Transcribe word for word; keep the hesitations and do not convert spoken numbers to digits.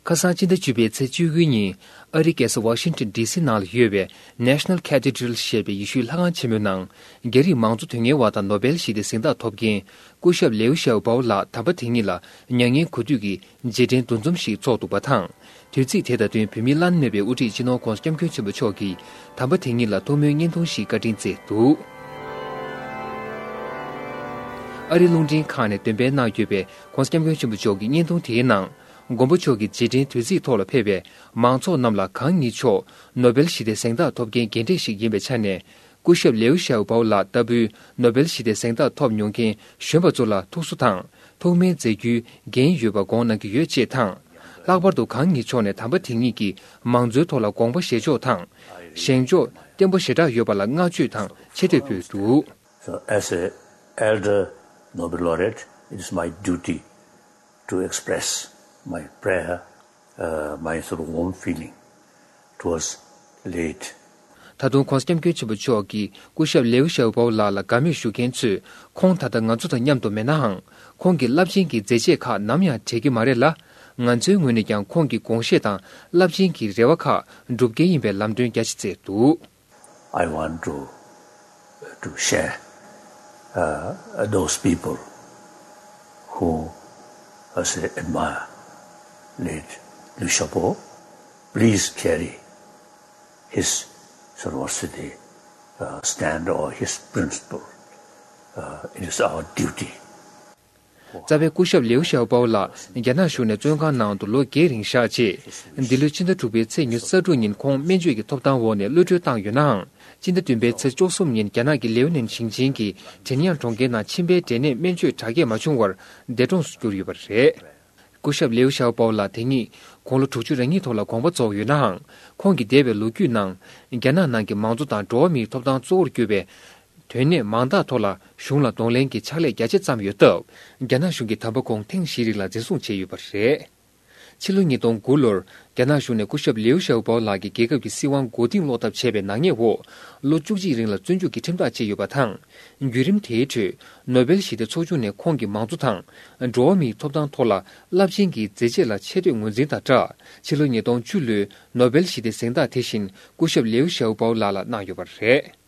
ཁ་སང་སྤྱི་ཟླ་བཅུ་པའི་ཚེས་བཅུ་དགུའི་ཉིན། ཨ་རིའི་རྒྱལ་ས་ཝ་ཤིང་ཊོན་ཌི་སི་ནང་ལ་ཡོད་པའི་National Cathedral ཞེས་པའི་ཡེ་ཤུའི་ལྷ་ཁང་ཆེན་མོའི་ནང་། རྒྱ་རིགས་མང་གཙོ་དོན་གཉེར་བ་དང་ནོ་སྦེལ་ཞི་བདེའི་གཟེངས་རྟགས་ཐོབ་མཁན་སྐུ་ཞབས་ལེའུ་ཞའོ་པའོ་ལགས་དམ་པ་དེ་ཉིད་ལ་མྱ་ངན་གུས་འདུད་ཀྱི་རྗེས་དྲན་འདུ་འཛོམས་ཤིག་འཚོགས་འདུག་པ་དང་། དུས་ཚིགས་དེ་དང་བསྟུན་བོད་མིའི་བླ་ན་མེད་པའི་དབུ་ཁྲིད་སྤྱི་ནོར་༧གོང་ས་༧སྐྱབས་མགོན་ཆེན་པོ་མཆོག་གིས་དམ་པ་དེ་ཉིད་ལ་ཐུགས་སྨོན་བརྙན་ཐུང་ཞིག་བཀའ་དྲིན་བསྩལ་འདུག་ཨ་རིའི་རླུང་འཕྲིན་ཁང་ནས་འདོན་སྤེལ་གནང་ཡོད་པའི་༧གོང་ས་༧སྐྱབས་མགོན་ཆེན་པོ་མཆོག་གི་བརྙན་ཐུང་དེའི་ནང་། མགོན་པོ་མཆོག་གི་རྗེས་དྲན་དུས་ཚིགས་ཐོག་ལ་ཕེབས་པའི་མང་ཚོགས་རྣམས་ལ་གང་ཉིད་མཆོག་ནོ་སྦེལ་ཞི་བདེའི་གཟེངས་རྟགས་ཐོབ་མཁན་རྒན་གྲས་ཤིག་ཡིན་པའི་ཆ་ནས། སྐུ་ཞབས་ལེའུ་ཞའོ་པའོ་ལགས་ལྟ་བུའི་ནོ་སྦེལ་ཞི་བདེའི་གཟེངས་རྟགས་ཐོབ་མྱོང་མཁན་གཞོན་པ་ཚོ་ལ་ཐུགས་གསོ་དང་ཐུགས་སྨོན་མཛད་རྒྱུའི་འགན་ཡོད་པ་དགོངས་གནང་གི་ཡོད་ཅེས་དང་། ལྷག་པར་དུ་གང་ཉིད་མཆོག་ནས་དམ་པ་དེ་ཉིད་ཀྱིས་མང་གཙོའི་ཐོག་ལ་དགོངས་པ་བཞེས་ཕྱོགས་དང་། བཞེངས་ཕྱོགས་བརྟན་པོ་ཞེ་དྲག་ཡོད་པ་ལ་བསྔགས་བརྗོད་དང་ཆེ་བསྟོད་ཕུལ་འདུག So, as a elder Nobel laureate, it is my duty to express my prayer, uh, my sort of warm feeling towards late ད་དུང་༧གོང་ས་༧སྐྱབས་མགོན་ཆེན་པོ་མཆོག་གིས་སྐུ་ཞབས་ལེའུ་ཞའོ་པའོ་ལགས་ལ་དགའ་མོས་ཞུ་མཁན་ཚོས་ཁོང་ད་ལྟ་ང་ཚོ་དང་མཉམ་དུ་མེད་ནའང་། ཁོང་གི་རླབས་ཆེན་གྱི་མཛད་རྗེས་ཁག་ནམ་ཡང་བྲལ་གྱི་མ་རེད་ལ། ང་ཚོའི་ངོས་ནས་ཀྱང་ཁོང་གི་དགོངས་བཞེད་དང་རླབས་ཆེན་གྱི་རེ་བ་ཁག་འགྲུབ་གལ་ཡིན་པའི་ལམ་སྟོན་རྒྱ་ཆེ་བསྩལ་འདུག I want to, to share, uh, those people who, uh, say, admire late Liu Xiaobo. Please carry his, sort of, what's the, uh, stand or his principle. Uh, it is our duty. རྩ་བའི་སྐུ་ཞབས་ལེའུ་ཞའོ་པའོ་ལགས་རྒྱ་ནག་གཞུང་ནས་བཙོན་ཁང་ནང་དུ་ལོ་བརྒྱད་རིང་བཞག་རྗེས། འདི་ལོའི་ཕྱི་ཟླ་དྲུག་པའི་ཚེས་ཉི་ཤུ་རྩ་དྲུག་ཉིན་ཁོང་སྨན་བཅོས་ཀྱི་ཐོབ་ཐང་འོག་ནས་གློད་གྲོལ་བཏང་ཡོད་ནའང་། ཕྱི་ཟླ་བདུན་པའི་ཚེས་བཅུ་གསུམ་ཉིན་རྒྱ་ནག་གི་ལེའུ་ནན་ཞིང་ཆེན་གྱི་ཁྲེན་ཡང་གྲོང་ཁྱེར་ནང་མཆིན་པའི་འབྲས་ནད་སྨན་བཅོས་དྲག་སྐྱེད་མ་བྱུང་བར་འདས་གྲོངས་སུ་གྱུར་ཡོད་པ་རེད། སྐུ་ཞབས་ལེའུ་ཞའོ་པའོ་ལགས་དེ་ཉིད་དགུང་ལོ་དྲུག་ཅུ་རེ་གཉིས་ཐོག་ལ་དགོངས་པ་རྫོགས་ཡོད་ནའང་། ཁོང་གི་འདས་པའི་ལོ་རྒྱུས་ནང་། རྒྱ་ནག་ནང་གི་མང་གཙོ་དང་འགྲོ་བ་མིའི་ཐོབ་ཐང་གཙོ་བོར་གྱུར་པའི་དོན་གནད་མང་དག་ཐོག་ལ་གཞུང་ལ་གདོང་ལེན་གྱི་ཕྱག་ལས་རྒྱ་ཆེ་བརྩམས་ཡོད་སྟབས། རྒྱ་ནག་གཞུང་གིས་དམ་པ་ཁོང་ཐེངས་བཞི་རིང་ལ་འཛིན་བཟུང་བྱས་ཡོད་པ་རེད། ཕྱི་ལོ་ཉིས་སྟོང་དགུ་ལོར་རྒྱ་ནག་གཞུང་ནས་སྐུ་ཞབས་ལེའུ་ཞའོ་པའོ་ལགས་ཀྱི་རྒྱལ་ཁབ་ཀྱི་སྲིད་དབང་མགོ་རྟིང་སློག་ཐབས་བྱས་པའི་ནག་ཉེས་འོག་ལོ་བཅུ་གཅིག་རིང་ལ་བཙོན་འཇུག་གི་ཁྲིམས་ཐག་བཅད་ཡོད་པ་དང་། བརྒྱུད་རིམ་དེའི་ཁྲོད་ནོ་སྦེལ་ཞི་བདེ་ཚོགས་ཆུང་ནས་ཁོང་གི་མང་གཙོ་དང་འགྲོ་བ་མིའི་ཐོབ་ཐང་ཐོག་ལ་རླབས་ཆེན་གྱི་མཛད་རྗེས་ལ་ཆེ་བསྟོད་ངོས་འཛིན་དང་སྦྲགས། ཕྱི་ལོ་ཉིས་སྟོང་བཅུ་ལོའི་ནོ་སྦེལ་ཞི་བདེ་གཟེངས་རྟགས་དེ་བཞིན་སྐུ་ཞབས་ལེའུ་ཞའོ་པའོ་ལགས་ལ་གནང་ཡོད་པ་རེད།